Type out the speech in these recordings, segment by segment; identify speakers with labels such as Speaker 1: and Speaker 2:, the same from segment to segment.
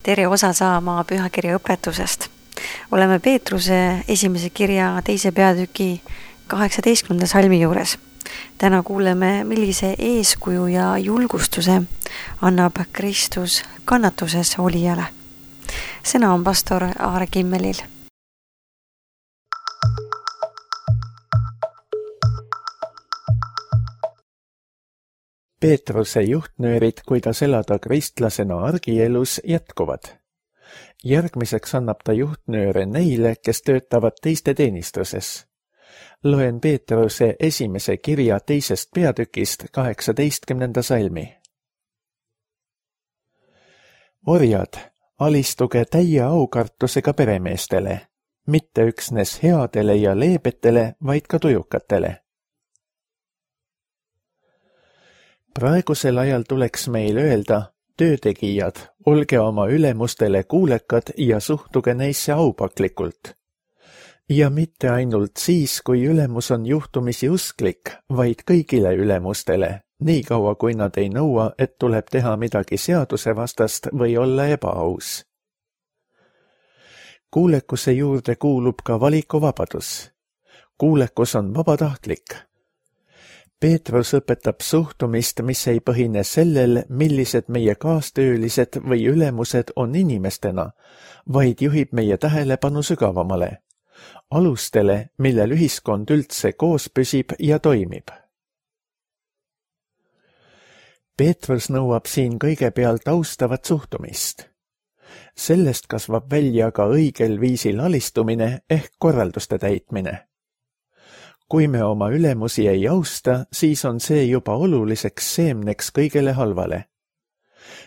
Speaker 1: Tere osa saama pühakirja õpetusest. Oleme Peetruse esimese kirja 2. peatüki 18. salmi juures. Täna kuuleme, millise eeskuju ja julgustuse annab Kristus kannatuses olijale. Sõna on pastor Aare Kimmelil.
Speaker 2: Peetruse juhtnöörid, kuidas elada kristlasena argielus, jätkuvad. Järgmiseks annab ta juhtnööre neile, kes töötavad teiste teenistuses. Loen Peetruse esimese kirja 2. peatükist 18. salmi. Orjad, alistuge täie aukartusega peremeestele, mitte üksnes headele ja leebetele, vaid ka tujukatele. Praegusel ajal tuleks meil öelda, töötegijad, olge oma ülemustele kuulekad ja suhtuge neisse aupaklikult. Ja mitte ainult siis, kui ülemus on juhtumisi usklik, vaid kõigile ülemustele, nii kaua kui nad ei nõua, et tuleb teha midagi seadusevastast või olla ebaaus. Kuulekuse juurde kuulub ka valikuvabadus. Kuulekus on vabatahtlik. Peetrus õpetab suhtumist, mis ei põhine sellel, millised meie kaastöölised või ülemused on inimestena, vaid juhib meie tähelepanu sügavamale, alustele, millel ühiskond üldse koos püsib ja toimib. Peetrus nõuab siin kõigepealt austavat suhtumist. Sellest kasvab välja ka õigel viisil alistumine ehk korralduste täitmine. Kui me oma ülemusi ei austa, siis on see juba oluliseks seemneks kõigele halvale.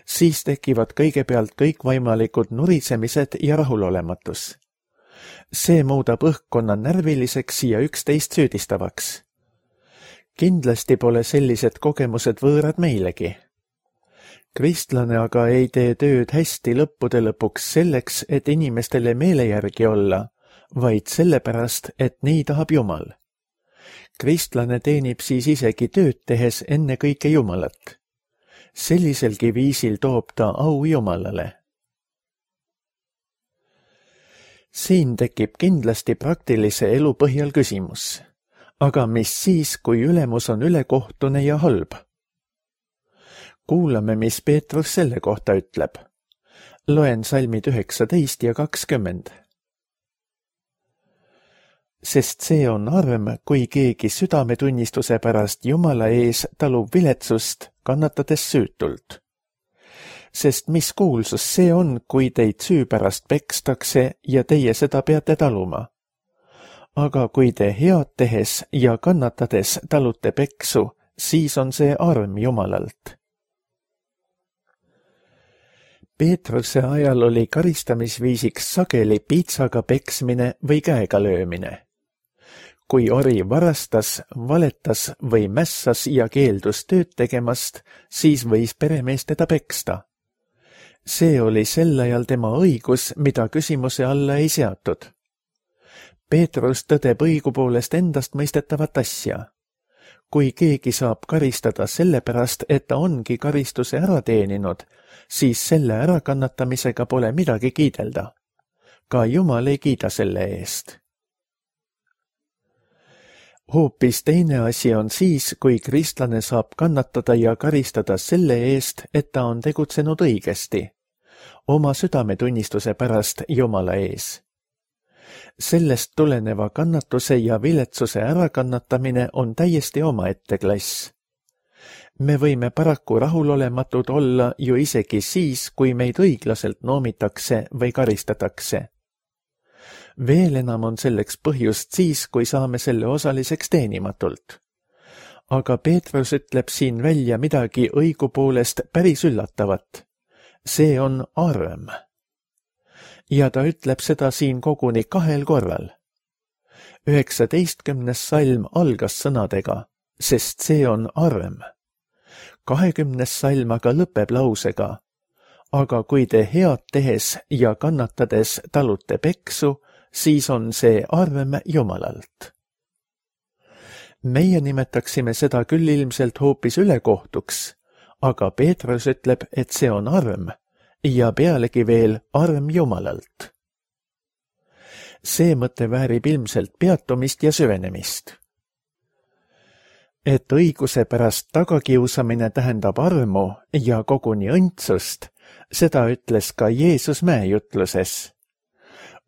Speaker 2: Siis tekivad kõigepealt kõikvõimalikud nurisemised ja rahulolematus. See muudab õhkkonna närviliseks ja üksteist süüdistavaks. Kindlasti pole sellised kogemused võõrad meilegi. Kristlane aga ei tee tööd hästi lõppude lõpuks selleks, et inimestele meele järgi olla, vaid sellepärast, et nii tahab Jumal. Kristlane teenib siis isegi tööd tehes ennekõike Jumalat. Selliselgi viisil toob ta au Jumalale. Siin tekib kindlasti praktilise elu põhjal küsimus. Aga mis siis, kui ülemus on ülekohtune ja halb? Kuulame, mis Peetrus selle kohta ütleb. Loen salmid 19 ja 20. Sest see on arm, kui keegi südametunnistuse pärast Jumala ees talub viletsust, kannatades süütult. Sest mis kuulsus see on, kui teid süü pärast pekstakse ja teie seda peate taluma? Aga kui te head tehes ja kannatades talute peksu, siis on see arm Jumalalt. Peetruse ajal oli karistamisviisiks sageli piitsaga peksmine või käega löömine. Kui ori varastas, valetas või mässas ja keeldus tööd tegemast, siis võis peremees teda peksta. See oli sel ajal tema õigus, mida küsimuse alla ei seatud. Peetrus tõdeb õigupoolest endast mõistetavat asja. Kui keegi saab karistada sellepärast, et ta ongi karistuse ära teeninud, siis selle ärakannatamisega pole midagi kiidelda. Ka Jumal ei kiida selle eest. Hoopis teine asi on siis, kui kristlane saab kannatada ja karistada selle eest, et ta on tegutsenud õigesti, oma südametunnistuse pärast Jumala ees. Sellest tuleneva kannatuse ja viletsuse ärakannatamine on täiesti omaette klass. Me võime paraku rahulolematud olla ju isegi siis, kui meid õiglaselt noomitakse või karistatakse. Veel enam on selleks põhjust siis, kui saame selle osaliseks teenimatult. Aga Peetrus ütleb siin välja midagi õigupoolest päris üllatavat. See on arm. Ja ta ütleb seda siin koguni 2 korral. 19. salm algas sõnadega, sest see on arm. 20. salm aga lõpeb lausega, aga kui te head tehes ja kannatades talute peksu, siis on see arm Jumalalt. Meie nimetaksime seda küll ilmselt hoopis ülekohtuks, aga Peetrus ütleb, et see on arm ja pealegi veel arm Jumalalt. See mõte väärib ilmselt peatumist ja süvenemist. Et õiguse pärast tagakiusamine tähendab armu ja koguni õndsust, seda ütles ka Jeesus mäejutluses.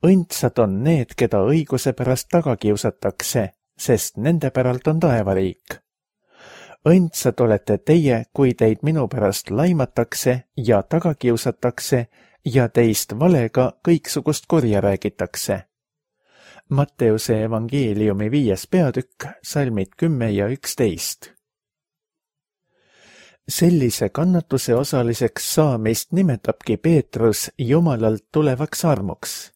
Speaker 2: Õndsad on need, keda õiguse pärast tagakiusatakse, sest nende päralt on taevariik. Õndsad olete teie, kui teid minu pärast laimatakse ja tagakiusatakse ja teist valega kõiksugust kurja räägitakse. Matteuse evangeeliumi 5. peatükk, salmid 10 ja 11. Sellise kannatuse osaliseks saamist nimetabki Peetrus Jumalalt tulevaks armuks.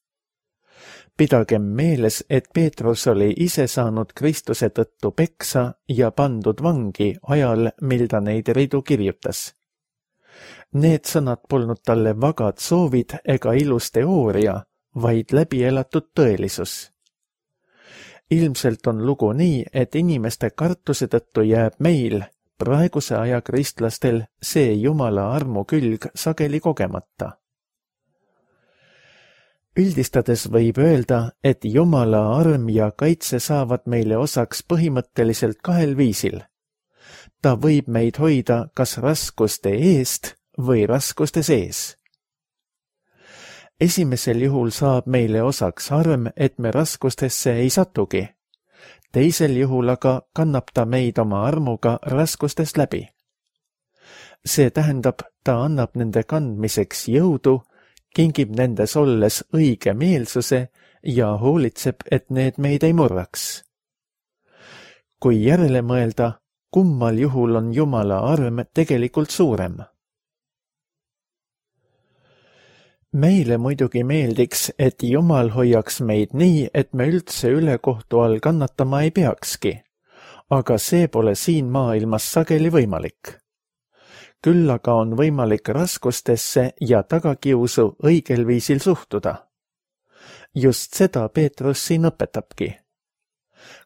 Speaker 2: Pidagem meeles, et Peetrus oli ise saanud Kristuse tõttu peksa ja pandud vangi ajal, mil ta neid ridu kirjutas. Need sõnad polnud talle vagad soovid ega ilus teooria, vaid läbielatud tõelisus. Ilmselt on lugu nii, et inimeste kartuse tõttu jääb meil, praeguse aja kristlastel, see Jumala armu külg sageli kogemata. Üldistades võib öelda, et Jumala arm ja kaitse saavad meile osaks põhimõtteliselt kahel viisil. Ta võib meid hoida kas raskuste eest või raskuste sees. Esimesel juhul saab meile osaks arm, et me raskustesse ei satugi. Teisel juhul aga kannab ta meid oma armuga raskustest läbi. See tähendab, ta annab nende kandmiseks jõudu, kingib nendes olles õige meelsuse ja hoolitseb, et need meid ei murraks. Kui järele mõelda, kummal juhul on Jumala arm tegelikult suurem? Meile muidugi meeldiks, et Jumal hoiaks meid nii, et me üldse ülekohtu all kannatama ei peakski, aga see pole siin maailmas sageli võimalik. Küll aga on võimalik raskustesse ja tagakiusu õigel viisil suhtuda. Just seda Peetrus siin õpetabki.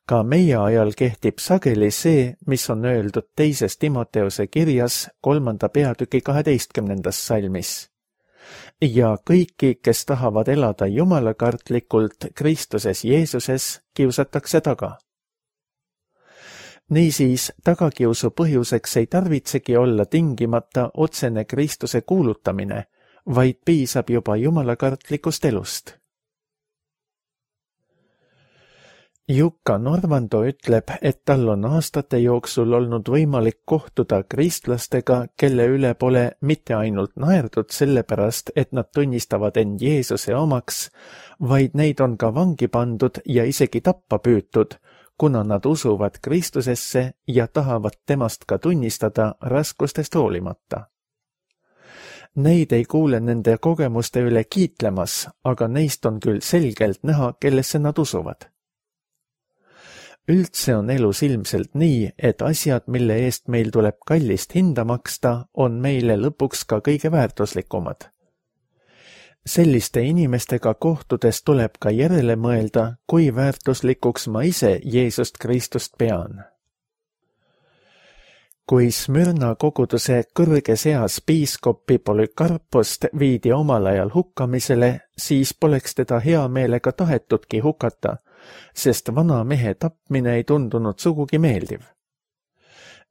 Speaker 2: Ka meie ajal kehtib sageli see, mis on öeldud 2. Timoteuse kirjas 3. peatüki 12. salmis. Ja kõiki, kes tahavad elada jumalakartlikult Kristuses Jeesuses, kiusatakse taga. Niisiis, tagakiusu põhjuseks ei tarvitsegi olla tingimata otsene Kristuse kuulutamine, vaid piisab juba jumalakartlikust elust. Jukka Norvando ütleb, et tal on aastate jooksul olnud võimalik kohtuda kristlastega, kelle üle pole mitte ainult naerdud sellepärast, et nad tunnistavad end Jeesuse omaks, vaid neid on ka vangi pandud ja isegi tappa püütud, kuna nad usuvad Kristusesse ja tahavad temast ka tunnistada raskustest hoolimata. Neid ei kuule nende kogemuste üle kiitlemas, aga neist on küll selgelt näha, kellesse nad usuvad. Üldse on elus ilmselt nii, et asjad, mille eest meil tuleb kallist hinda maksta, on meile lõpuks ka kõige väärtuslikumad. Selliste inimestega kohtudes tuleb ka järele mõelda, kui väärtuslikuks ma ise Jeesust Kristust pean. Kui Smyrna koguduse kõrges eas piiskopi Polükarpost viidi omal ajal hukkamisele, siis poleks teda hea meelega tahetudki hukata, sest vana mehe tapmine ei tundunud sugugi meeldiv.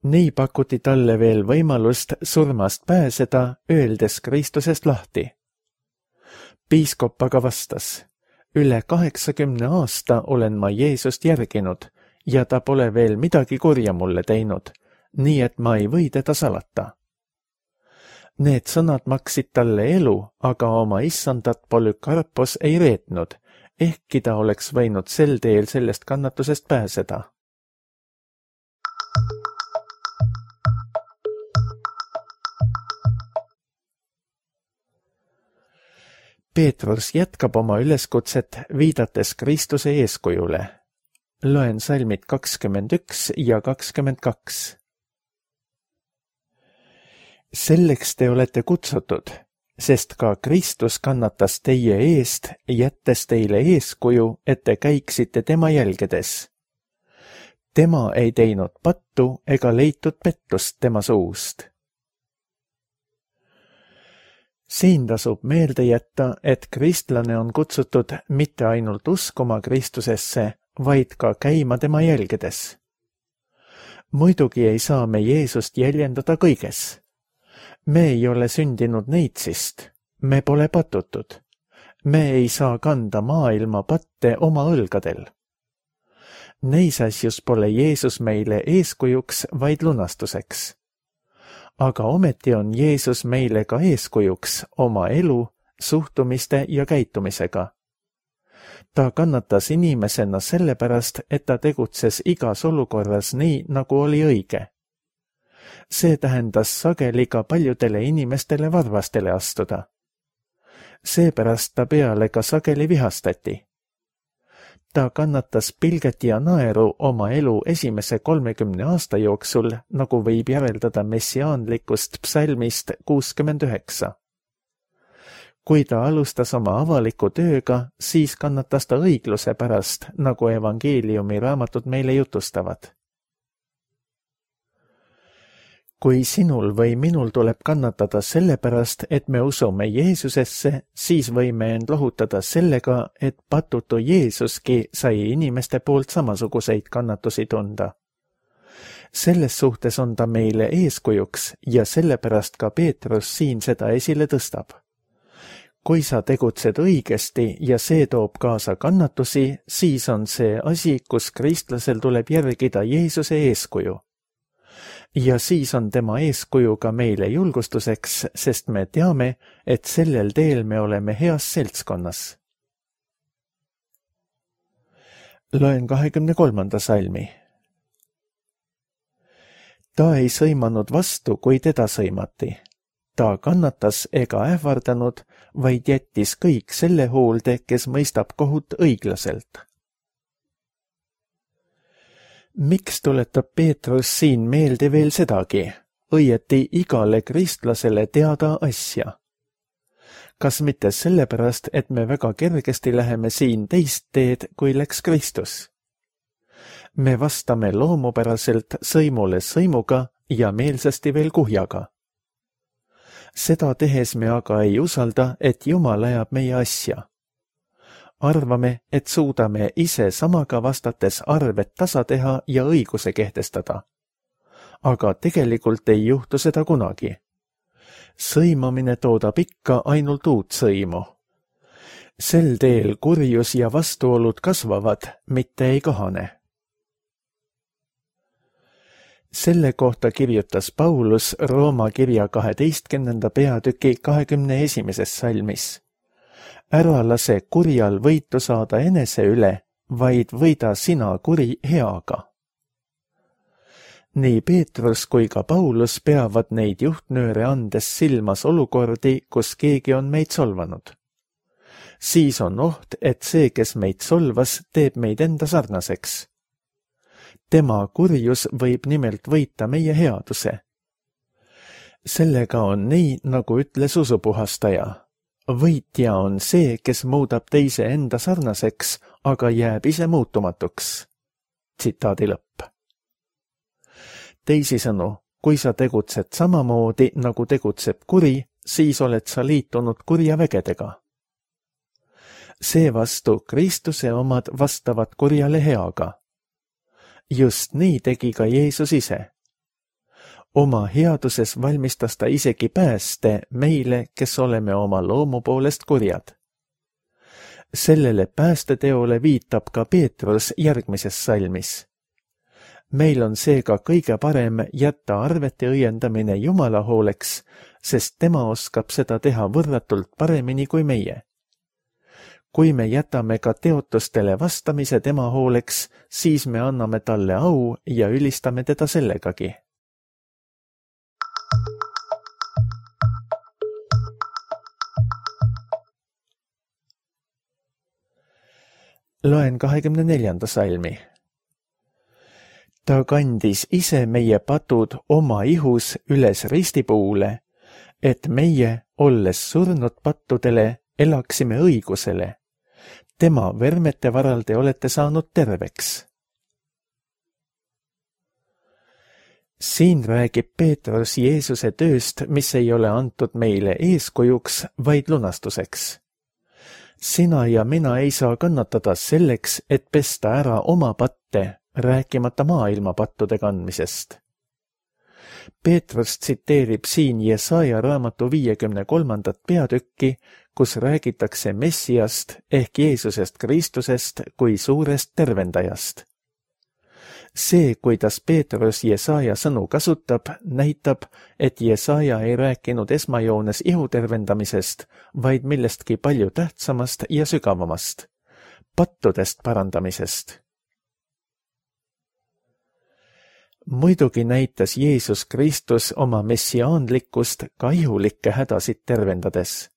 Speaker 2: Nii pakuti talle veel võimalust surmast pääseda, öeldes Kristusest lahti. Piiskop aga vastas, üle 80 aasta olen ma Jeesust järginud ja ta pole veel midagi kurja mulle teinud, nii et ma ei või teda salata. Need sõnad maksid talle elu, aga oma issandat Polükarpos ei reetnud, ehkki ta oleks võinud sel teel sellest kannatusest pääseda. Peetrus jätkab oma üleskutset, viidates Kristuse eeskujule. Loen salmid 21 ja 22. Selleks te olete kutsutud, sest ka Kristus kannatas teie eest, jättes teile eeskuju, et te käiksite tema jälgedes. Tema ei teinud pattu ega leitud pettust tema suust. Siin tasub meelde jätta, et kristlane on kutsutud mitte ainult uskuma Kristusesse, vaid ka käima tema jälgedes. Muidugi ei saa me Jeesust jäljendada kõiges. Me ei ole sündinud neitsist, me pole patutud. Me ei saa kanda maailma patte oma õlgadel. Neis asjus pole Jeesus meile eeskujuks, vaid lunastuseks. Aga ometi on Jeesus meile ka eeskujuks oma elu, suhtumiste ja käitumisega. Ta kannatas inimesena sellepärast, et ta tegutses igas olukorras nii, nagu oli õige. See tähendas sageli ka paljudele inimestele varvastele astuda. Seepärast ta peale ka sageli vihastati. Ta kannatas pilget ja naeru oma elu esimese 30 aasta jooksul, nagu võib järeldada messiaanlikust psalmist 69. Kui ta alustas oma avaliku tööga, siis kannatas ta õigluse pärast, nagu evangeeliumi raamatud meile jutustavad. Kui sinul või minul tuleb kannatada sellepärast, et me usume Jeesusesse, siis võime end lohutada sellega, et patutu Jeesuski sai inimeste poolt samasuguseid kannatusi tunda. Selles suhtes on ta meile eeskujuks ja sellepärast ka Peetrus siin seda esile tõstab. Kui sa tegutsed õigesti ja see toob kaasa kannatusi, siis on see asi, kus kristlasel tuleb järgida Jeesuse eeskuju. Ja siis on tema eeskuju ka meile julgustuseks, sest me teame, et sellel teel me oleme heas seltskonnas. Loen 23. salmi. Ta ei sõimanud vastu, kui teda sõimati. Ta kannatas ega ähvardanud, vaid jättis kõik selle hoolde, kes mõistab kohut õiglaselt. Miks tuletab Peetrus siin meelde veel sedagi, õieti igale kristlasele teada asja? Kas mitte sellepärast, et me väga kergesti läheme siin teist teed, kui läks Kristus? Me vastame loomupäraselt sõimule sõimuga ja meelsasti veel kuhjaga. Seda tehes me aga ei usalda, et Jumal ajab meie asja. Arvame, et suudame ise samaga vastates arved tasa teha ja õiguse kehtestada. Aga tegelikult ei juhtu seda kunagi. Sõimamine toodab ikka ainult uut sõimu. Sel teel kurjus ja vastuolud kasvavad, mitte ei kahane. Selle kohta kirjutas Paulus Rooma kirja 12. peatüki 21. salmis. Ära lase kurjal võitu saada enese üle, vaid võida sina kuri heaga. Nii Peetrus kui ka Paulus peavad neid juhtnööre andes silmas olukordi, kus keegi on meid solvanud. Siis on oht, et see, kes meid solvas, teeb meid enda sarnaseks. Tema kurjus võib nimelt võita meie headuse. Sellega on nii, nagu ütles usupuhastaja. Võitja on see, kes muudab teise enda sarnaseks, aga jääb ise muutumatuks. Tsitaadi lõpp. Teisisõnu, kui sa tegutsed samamoodi, nagu tegutseb kuri, siis oled sa liitunud kurja vägedega. Seevastu Kristuse omad vastavad kurjale heaga. Just nii tegi ka Jeesus ise. Oma headuses valmistas ta isegi pääste meile, kes oleme oma loomu poolest kurjad. Sellele päästeteole viitab ka Peetrus järgmises salmis. Meil on seega kõige parem jätta arvete õiendamine Jumala hooleks, sest tema oskab seda teha võrratult paremini kui meie. Kui me jätame ka teotustele vastamise tema hooleks, siis me anname talle au ja ülistame teda sellegagi. Loen 24. salmi. Ta kandis ise meie patud oma ihus üles ristipuule, et meie, olles surnud pattudele, elaksime õigusele. Tema vermete varal te olete saanud terveks. Siin räägib Peetrus Jeesuse tööst, mis ei ole antud meile eeskujuks, vaid lunastuseks. Sina ja mina ei saa kannatada selleks, et pesta ära oma patte, rääkimata maailma pattude kandmisest. Peetrus tsiteerib siin Jesaja raamatu 53. peatükki, kus räägitakse Messiast ehk Jeesusest Kristusest kui suurest tervendajast. See, kuidas Peetrus Jesaja sõnu kasutab, näitab, et Jesaja ei rääkinud esmajoones ihu tervendamisest, vaid millestki palju tähtsamast ja sügavamast, pattudest parandamisest. Muidugi näitas Jeesus Kristus oma messiaanlikkust ka ihulikke hädasid tervendades.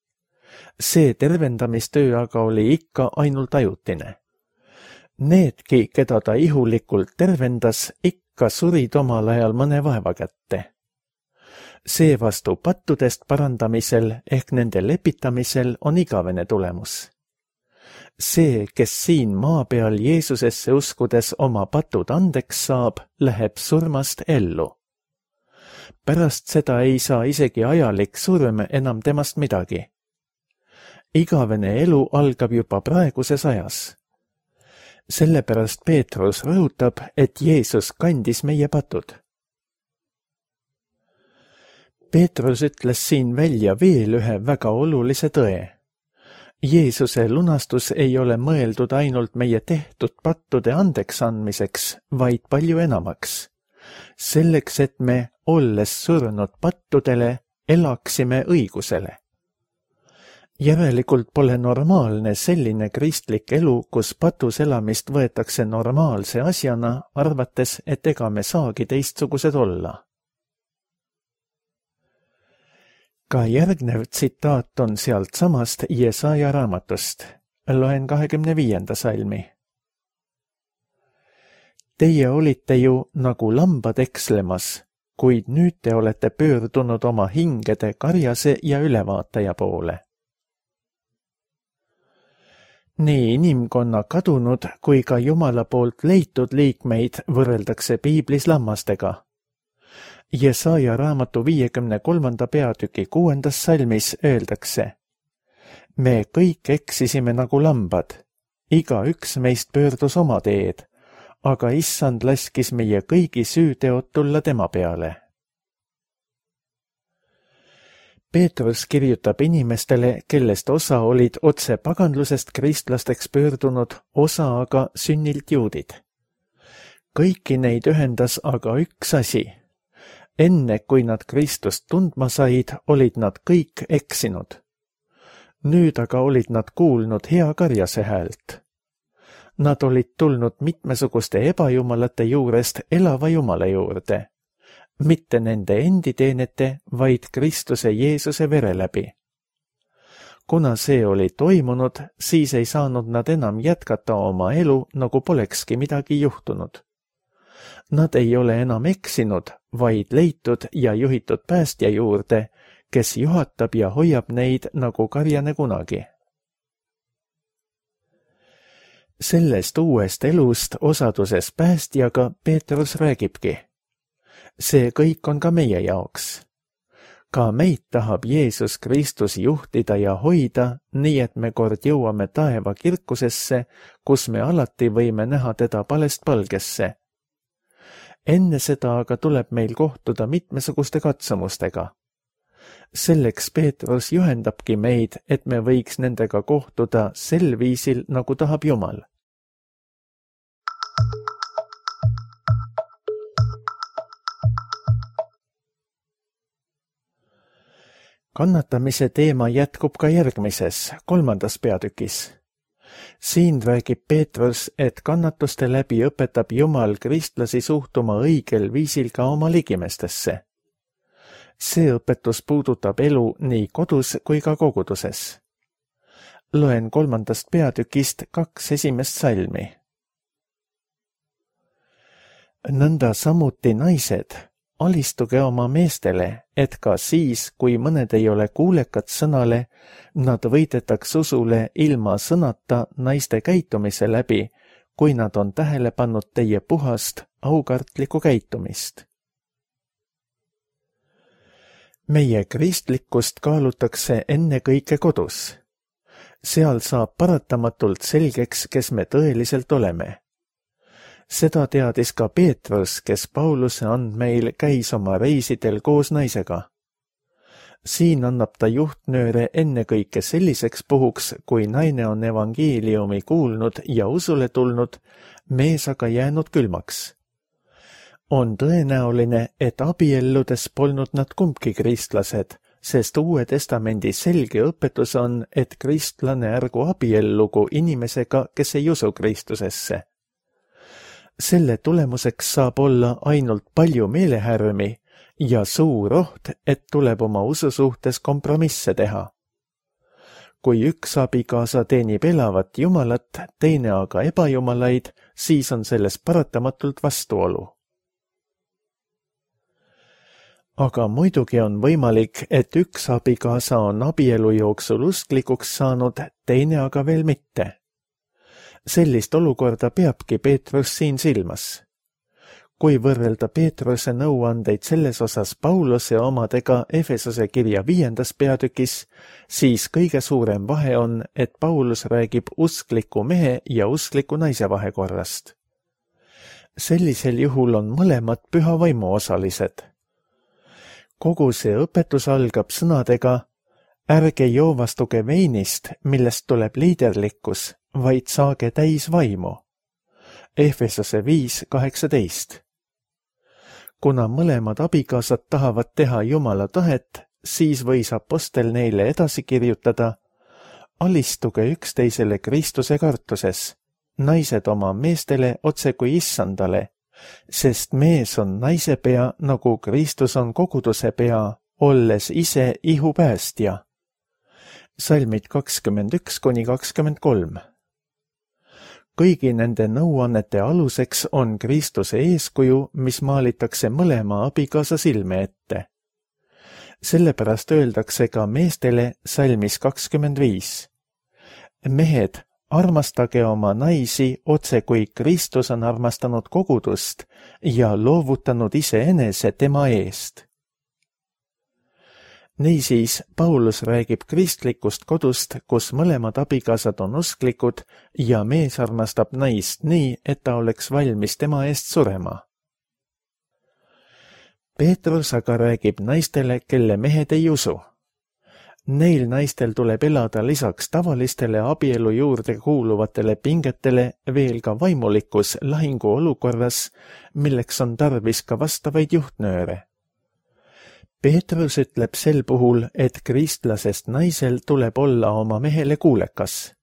Speaker 2: See tervendamistöö aga oli ikka ainult ajutine. Needki, keda ta ihulikult tervendas, ikka surid omal ajal mõne vaeva kätte. Seevastu pattudest parandamisel ehk nende lepitamisel on igavene tulemus. See, kes siin maa peal Jeesusesse uskudes oma patud andeks saab, läheb surmast ellu. Pärast seda ei saa isegi ajalik surm enam temast midagi. Igavene elu algab juba praeguses ajas. Sellepärast Peetrus rõhutab, et Jeesus kandis meie patud. Peetrus ütles siin välja veel ühe väga olulise tõe. Jeesuse lunastus ei ole mõeldud ainult meie tehtud pattude andeks andmiseks, vaid palju enamaks. Selleks, et me, olles surnud pattudele, elaksime õigusele. Järelikult pole normaalne selline kristlik elu, kus patus elamist võetakse normaalse asjana, arvates, et ega me saagi teistsugused olla. Ka järgnev tsitaat on sealt samast Jesaja raamatust. Loen 25. salmi. Teie olite ju nagu lambad ekslemas, kuid nüüd te olete pöördunud oma hingede karjase ja ülevaataja poole. Nii inimkonna kadunud kui ka Jumala poolt leitud liikmeid võrreldakse piiblis lammastega. Jesaja raamatu 53. peatüki 6. salmis öeldakse: Me kõik eksisime nagu lambad, igaüks meist pöördus oma teed, aga Issand laskis meie kõigi süüteod tulla tema peale. Peetrus kirjutab inimestele, kellest osa olid otse paganlusest kristlasteks pöördunud, osa aga sünnilt juudid. Kõiki neid ühendas aga üks asi. Enne, kui nad Kristust tundma said, olid nad kõik eksinud. Nüüd aga olid nad kuulnud hea karjase häält. Nad olid tulnud mitmesuguste ebajumalate juurest elava Jumala juurde. Mitte nende endi teenete, vaid Kristuse Jeesuse vere läbi. Kuna see oli toimunud, siis ei saanud nad enam jätkata oma elu, nagu polekski midagi juhtunud. Nad ei ole enam eksinud, vaid leitud ja juhitud päästja juurde, kes juhatab ja hoiab neid nagu karjane kunagi. Sellest uuest elust osaduses päästjaga Peetrus räägibki. See kõik on ka meie jaoks. Ka meid tahab Jeesus Kristus juhtida ja hoida, nii et me kord jõuame taeva kirkusesse, kus me alati võime näha teda palest palgesse. Enne seda aga tuleb meil kohtuda mitmesuguste katsumustega. Selleks Peetrus juhendabki meid, et me võiks nendega kohtuda sel viisil, nagu tahab Jumal. Kannatamise teema jätkub ka järgmises, 3. peatükis. Siin räägib Peetrus, et kannatuste läbi õpetab Jumal kristlasi suhtuma õigel viisil ka oma ligimestesse. See õpetus puudutab elu nii kodus kui ka koguduses. Loen 3. peatükist 2 esimest salmi. Nõnda samuti naised, alistuge oma meestele, et ka siis, kui mõned ei ole kuulekad sõnale, nad võidetaks usule ilma sõnata naiste käitumise läbi, kui nad on tähele pannud teie puhast, aukartlikku käitumist. meie kristlikkust kaalutakse ennekõike kodus. Seal saab paratamatult selgeks, kes me tõeliselt oleme. Seda teadis ka Peetrus, kes Pauluse andmeil käis oma reisidel koos naisega. Siin annab ta juhtnööre ennekõike selliseks puhuks, kui naine on evangeeliumi kuulnud ja usule tulnud, mees aga jäänud külmaks. On tõenäoline, et abielludes polnud nad kumbki kristlased, sest Uue Testamendi selge õpetus on, et kristlane ärgu abiellugu inimesega, kes ei usu Kristusesse. Selle tulemuseks saab olla ainult palju meelehärmi ja suur oht, et tuleb oma usu suhtes kompromisse teha. Kui üks abikaasa teenib elavat Jumalat, teine aga ebajumalaid, siis on selles paratamatult vastuolu. Aga muidugi on võimalik, et üks abikaasa on abielu jooksul usklikuks saanud, teine aga veel mitte. Sellist olukorda peabki Peetrus siin silmas. Kui võrrelda Peetruse nõuandeid selles osas Pauluse omadega Efesose kirja 5. peatükis, siis kõige suurem vahe on, et Paulus räägib uskliku mehe ja uskliku naise vahekorrast. Sellisel juhul on mõlemad püha vaimu osalised. Kogu see õpetus algab sõnadega: ärge joovastuge veinist, millest tuleb liiderlikkus, vaid saage täis vaimu. Efesose 5:18. Kuna mõlemad abikaasad tahavad teha Jumala tahet, siis võis apostel neile edasi kirjutada: alistuge üksteisele Kristuse kartuses, naised oma meestele otse kui issandale, sest mees on naise pea, nagu Kristus on koguduse pea, olles ise ihupäästja. Salmid 21-23. Kõigi nende nõuannete aluseks on Kristuse eeskuju, mis maalitakse mõlema abikaasa silme ette. Sellepärast öeldakse ka meestele salmis 25. Mehed, armastage oma naisi otse kui Kristus on armastanud kogudust ja loovutanud iseenese tema eest. Niisiis, Paulus räägib kristlikust kodust, kus mõlemad abikaasad on usklikud ja mees armastab naist nii, et ta oleks valmis tema eest surema. Peetrus aga räägib naistele, kelle mehed ei usu. Neil naistel tuleb elada lisaks tavalistele abielu juurde kuuluvatele pingetele veel ka vaimulikus lahingu olukorras, milleks on tarvis ka vastavaid juhtnööre. Peetrus ütleb sel puhul, et kristlasest naisel tuleb olla oma mehele kuulekas.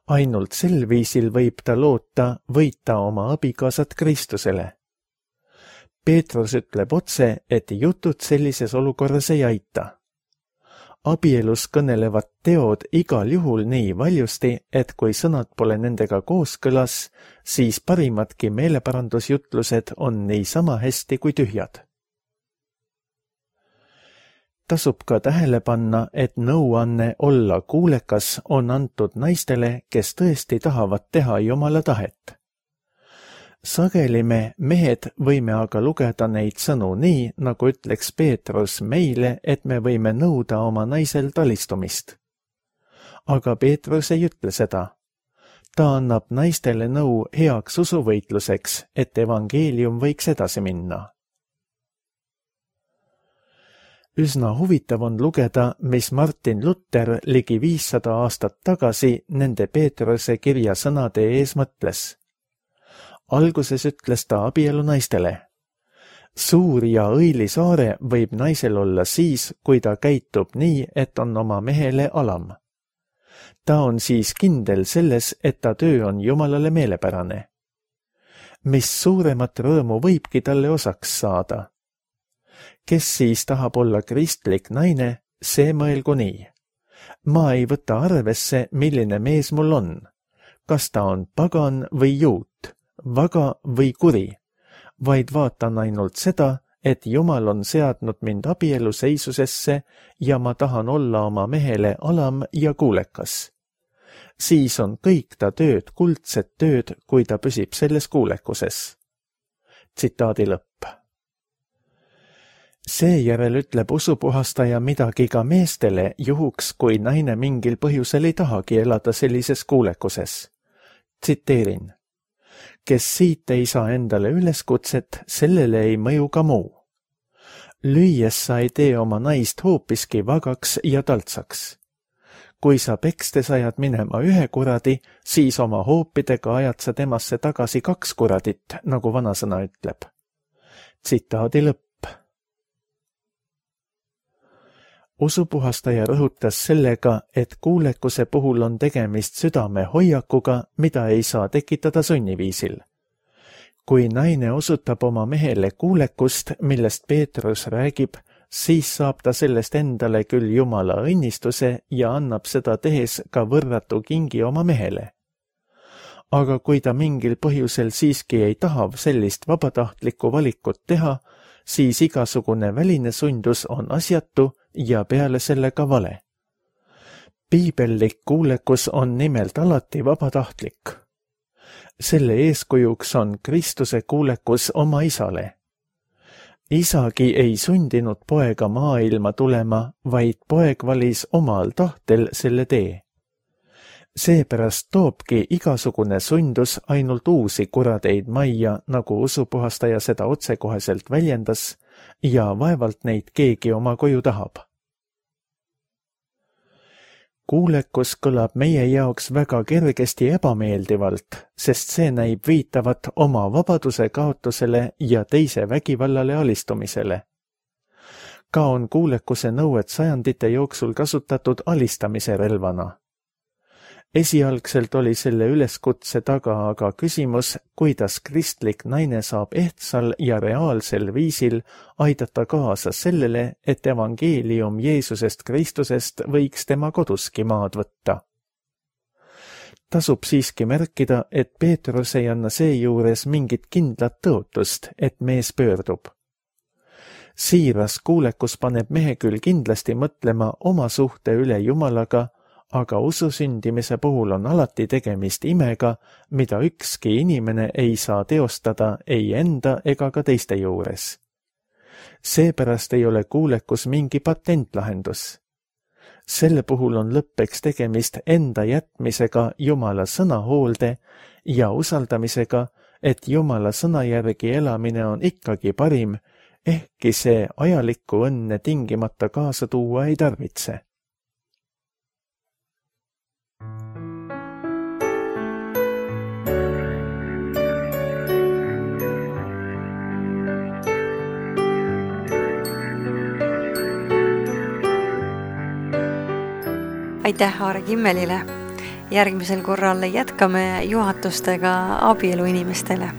Speaker 2: Ainult sel viisil võib ta loota võita oma abikaasat Kristusele. Peetrus ütleb otse, et jutud sellises olukorras ei aita. Abielus kõnelevad teod igal juhul nii valjusti, et kui sõnad pole nendega kooskõlas, siis parimadki meeleparandusjutlused on niisama hästi kui tühjad. Tasub ka tähele panna, et nõuanne olla kuulekas on antud naistele, kes tõesti tahavad teha Jumala tahet. Sageli me, mehed, võime aga lugeda neid sõnu nii, nagu ütleks Peetrus meile, et me võime nõuda oma naisel talistumist. Aga Peetrus ei ütle seda. Ta annab naistele nõu heaks usuvõitluseks, et evangeelium võiks edasi minna. Üsna huvitav on lugeda, mis Martin Luther ligi 500 aastat tagasi nende Peetruse kirja sõnade ees mõtles. Alguses ütles ta abielu naistele: suur ja õilis aare võib naisel olla siis, kui ta käitub nii, et on oma mehele alam. Ta on siis kindel selles, et ta töö on Jumalale meelepärane. Mis suuremat rõõmu võibki talle osaks saada? Kes siis tahab olla kristlik naine, see mõelgu nii. Ma ei võta arvesse, milline mees mul on. Kas ta on pagan või juut, vaga või kuri, vaid vaatan ainult seda, et Jumal on seadnud mind abielu seisusesse ja ma tahan olla oma mehele alam ja kuulekas. Siis on kõik ta tööd kuldset tööd, kui ta püsib selles kuulekuses. Tsitaadi lõpp. Seejärel ütleb usupuhastaja midagi ka meestele juhuks, kui naine mingil põhjusel ei tahagi elada sellises kuulekuses. Tsiteerin. Kes siit ei saa endale üleskutset, sellele ei mõju ka muu. Lüües sa ei tee oma naist hoopiski vagaks ja taltsaks. Kui sa pekstes ajad minema 1 kuradi, siis oma hoopidega ajad sa temasse tagasi 2 kuradit, nagu vanasõna ütleb. Tsitaadi lõpp. Usupuhastaja rõhutas sellega, et kuulekuse puhul on tegemist südame hoiakuga, mida ei saa tekitada sunniviisil. Kui naine osutab oma mehele kuulekust, millest Peetrus räägib, siis saab ta sellest endale küll Jumala õnnistuse ja annab seda tehes ka võrratu kingi oma mehele. Aga kui ta mingil põhjusel siiski ei taha sellist vabatahtlikku valikut teha, siis igasugune väline sundus on asjatu ja peale selle ka vale. Piibellik kuulekus on nimelt alati vabatahtlik. Selle eeskujuks on Kristuse kuulekus oma isale. Isagi ei sundinud poega maailma tulema, vaid poeg valis omal tahtel selle tee. Seepärast toobki igasugune sundus ainult uusi kuradeid majja, nagu usupuhastaja seda otsekoheselt väljendas, ja vaevalt neid keegi oma koju tahab. Kuulekus kõlab meie jaoks väga kergesti ebameeldivalt, sest see näib viitavat oma vabaduse kaotusele ja teise vägivallale alistumisele. Ka on kuulekuse nõuet sajandite jooksul kasutatud alistamise relvana. Esialgselt oli selle üleskutse taga aga küsimus, kuidas kristlik naine saab ehtsal ja reaalsel viisil aidata kaasa sellele, et evangeelium Jeesusest Kristusest võiks tema koduski maad võtta. Tasub siiski märkida, et Peetrus ei anna seejuures mingit kindlat tõotust, et mees pöördub. Siiras kuulekus paneb mehe küll kindlasti mõtlema oma suhte üle Jumalaga, aga ususündimise puhul on alati tegemist imega, mida ükski inimene ei saa teostada ei enda ega ka teiste juures. Seepärast ei ole kuulekus mingi patentlahendus. Selle puhul on lõppeks tegemist enda jätmisega Jumala sõna hoolde ja usaldamisega, et Jumala sõna järgi elamine on ikkagi parim, ehkki see ajalikku õnne tingimata kaasa tuua ei tarvitse.
Speaker 1: Aitäh Aare Kimmelile. Järgmisel korral jätkame juhatustega abieluinimestele.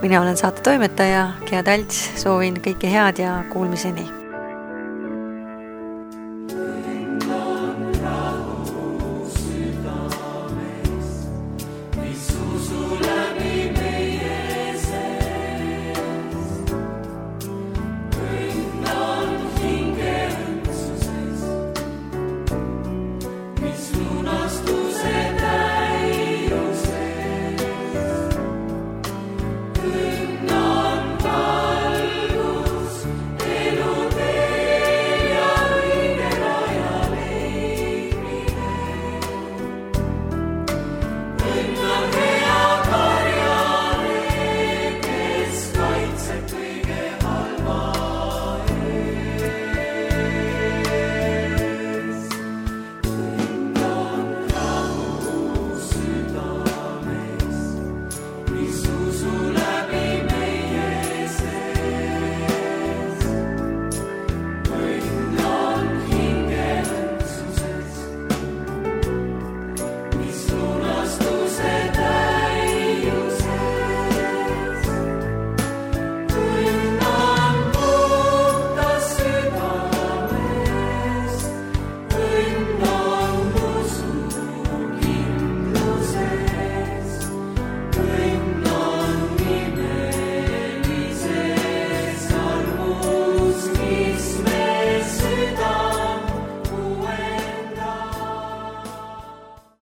Speaker 1: Mina olen saate toimetaja Gea Talts, soovin kõike head ja kuulmiseni.